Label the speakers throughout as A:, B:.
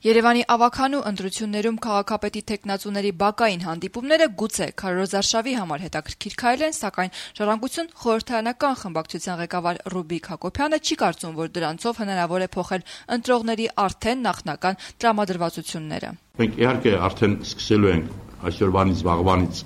A: Երևանի ավագանու ընտրություններում քաղաքապետի թեկնածուների բակային հանդիպումները գուցե քարոզարշավի համար հետաքրքիր քայլ են, սակայն Ժառանգություն խորհրդարանական խմբակցության ղեկավար Ռուբիկ Հակոբյանը չի կարծում, որ դրանցով հնարավոր է փոխել ընտրողների արդեն նախնական տրամադրվածությունները։
B: Մենք իհարկե արդեն սկսելու ենք այսօրվանից վաղվանից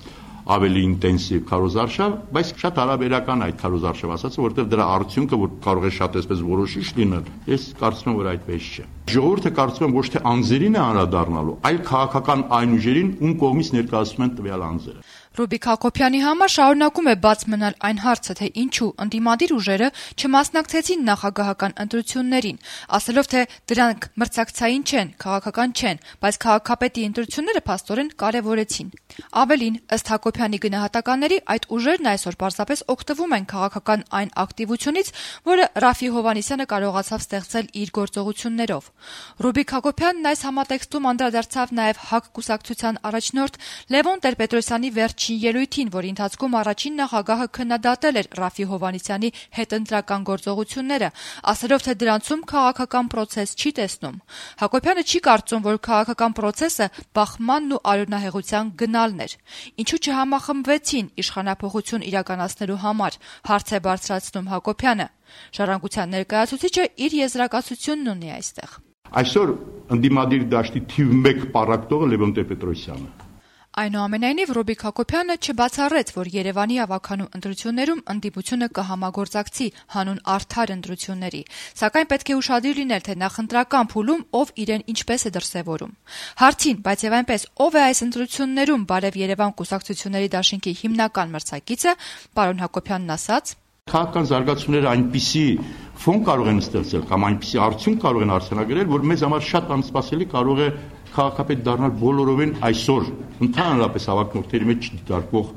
B: ավելի ինտենսիվ քարոզարշավ, բայց շատ հարաբերական այդ քարոզարշավ ասածը, որտեղ դրա արդյունքը որ կարող է շատ այսպես որոշիչ լինել, ես կարծում եմ, որ այդպես չէ։ Ժողովուրդը կարծում եմ ոչ թե անձերին է անդրադառնալու, այլ քաղաքական այն ուժերին, ում կողմից ներկայացում են տվյալ անձերը։
A: Ռուբիկ Հակոբյանի համար շարունակում է բաց մնալ այն հարցը, թե ինչու ընդդիմադիր ուժերը չմասնակցեցին նախագահական ընտրություններին, ասելով, թե դրանք մրցակցային չեն, քաղաքական չեն, բայց քաղաքապետի ընտրությունները փաստորեն կարևորեցին։ Ավելին, ըստ Հակոբյանի գնահատականների, այդ ուժերն այսօր պարզապես օգտվում են քաղաքական այն ակտիվությունից, որը Ռաֆի Հովհաննիսյանը կարողացավ ստեղծել իր գործողություններով։ Ռուբիկ Հակոբյանն այս համատեքստում անդրադարձավ նաև ՀԱԿ կուսակցության առաջնորդ Լևոն Տեր-Պետրոսյանի վերջին ելույթին, որի ընթացքում առաջին նախագահը քննադատել էր Ռաֆի Հովհաննիսյանի հետընտրական գործողությունները, ասելով, թե դրանցում քաղաքական պրոցես չի տեսնում։ Հակոբյանը չի կարծում, որ քաղաքական պրոցեսը բախմանն ու արյունահեղության գնալն էր։ Ինչու չհամախմբվեցին իշխանափոխություն իրականացնելու համար, հարց է բարձրացնում Հակոբյանը։ Ժառանգության ներկայացուցիչը իր եզրակացությունն ունի այստեղ։
B: Այսօր ընդդիմադիր դաշտի թիվ 1 պառակտողը Լևոն Տեր-Պետրոսյանն է։
A: Այնուամենայնիվ Ռուբիկ Հակոբյանը չբացառեց, որ Երևանի ավագանու ընտրություններում ընդդիմությունը կհամագործակցի հանուն արդար ընտրությունների, սակայն պետք է ուշադիր լինել, թե նախընտրական փուլում ով իրեն ինչպես է դրսևորում։ Հարցին, բայց եւ այնպես ով է այս ընտրություններում Բարև Երևան կուսակցությունների դաշինքի հիմնական մրցակիցը, պարոն Հակոբյանն ասաց.
B: Քաղաքական զարգացումները այնպիսի ֆոն կարող են ստեղծել կամ այնպիսի արդյունք կարող են արձանագրել, որ մեզ համար շատ անսպասելի կարող է քաղաքապետ դառնալ բոլորովին այսօր ընդհանրապես հավաքնորդների մեջ չդիտարկվող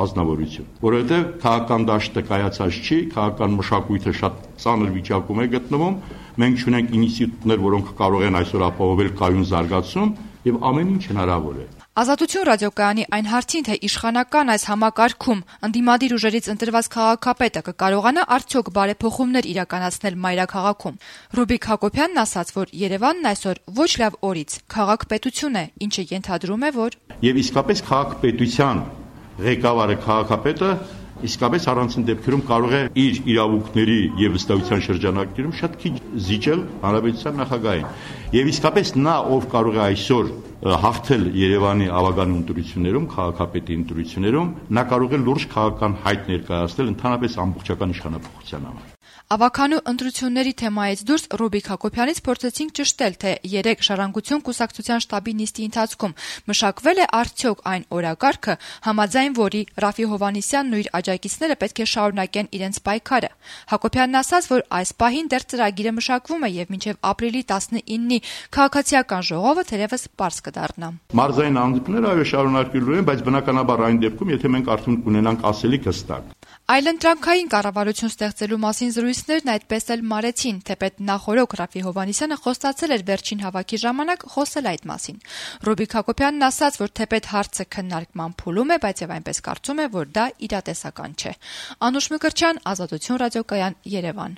B: ազնվորություն, որովհետև քաղաքական դաշտը կայացած չի, քաղաքական մշակույթը շատ ծանր վիճակում է գտնվում, մենք ունենք ինստիտուտներ, որոնք կարող են այսօր ապահովել կայուն զարգացում եւ ամեն ինչ հնարավոր է։
A: Ազատություն ռադիոկայանի այն հարցին, թե իշխանական այս համակարգում ընդդիմադիր ուժերից ընտրված քաղաքապետը կկարողանա արդյոք բարեփոխումներ իրականացնել մայրաքաղաքում, Ռուբիկ Հակոբյանն ասաց, որ Երևանն այսօր ոչ լավ օրից քաղաքպետություն է, ինչը ենթադրում է, որ
B: եւ իսկապես քաղաքպետության ղեկավարը քաղաքապետը իսկապես առանցին դեպքերում կարող է իր իրավունքների եւ վստահության շրջանակներում շատ քիչ զիջել հանրապետության նախագահին։ Եվ իսկապես նա, ով կարող է այսօր հաղթել Երևանի ավագանու ընտրություններում, քաղաքապետի ընտրություններում, նա կարող է լուրջ քաղաքական հայտ ներկայացնել ընդհանրապես ամբողջական իշխանապահության համար։
A: Ավագանու ընտրությունների թեմայից դուրս Ռուբիկ Հակոբյանից փորձեցինք ճշտել, թե 3 Ժառանգություն կուսակցության շտաբի նիստի ընթացքում մշակվել է արդյոք այն օրակարգը, համաձայն որի Ռաֆի Հովհաննիսյանն ու իր աջակիցները պետք է շարունակեն իրենց պայքարը։ Հակոբյանն ասաց, որ այս պահին դեռ ծրագիրը մշակվում է եւ մինչեւ ապրիլի 19-ի քաղաքացիական ժողովը թերևս պարզ կդառնա։
B: Մարզային հանդիպումները այո շարունակելու են, բայց բնականաբար այն դեպքում, եթե մենք արդյոք կունենանք ասելիք հստակ։
A: Այլընտրանքային կառավարություն ստեղծելու մասին զրույցներն այդպես էլ մարեցին, թեպետ նախօրոք Ռաֆի Հովհաննիսյանը խոստացել էր վերջին հավաքի ժամանակ խոսել այդ մասին։ Ռուբիկ Հակոբյանն ասաց, որ թեպետ հարցը քննարկման փուլում է, բայց եւ այնպես կարծում է, որ դա իրատեսական չէ։ Անուշ Մկրտչյան, Ազատություն ռադիոկայան, Երևան։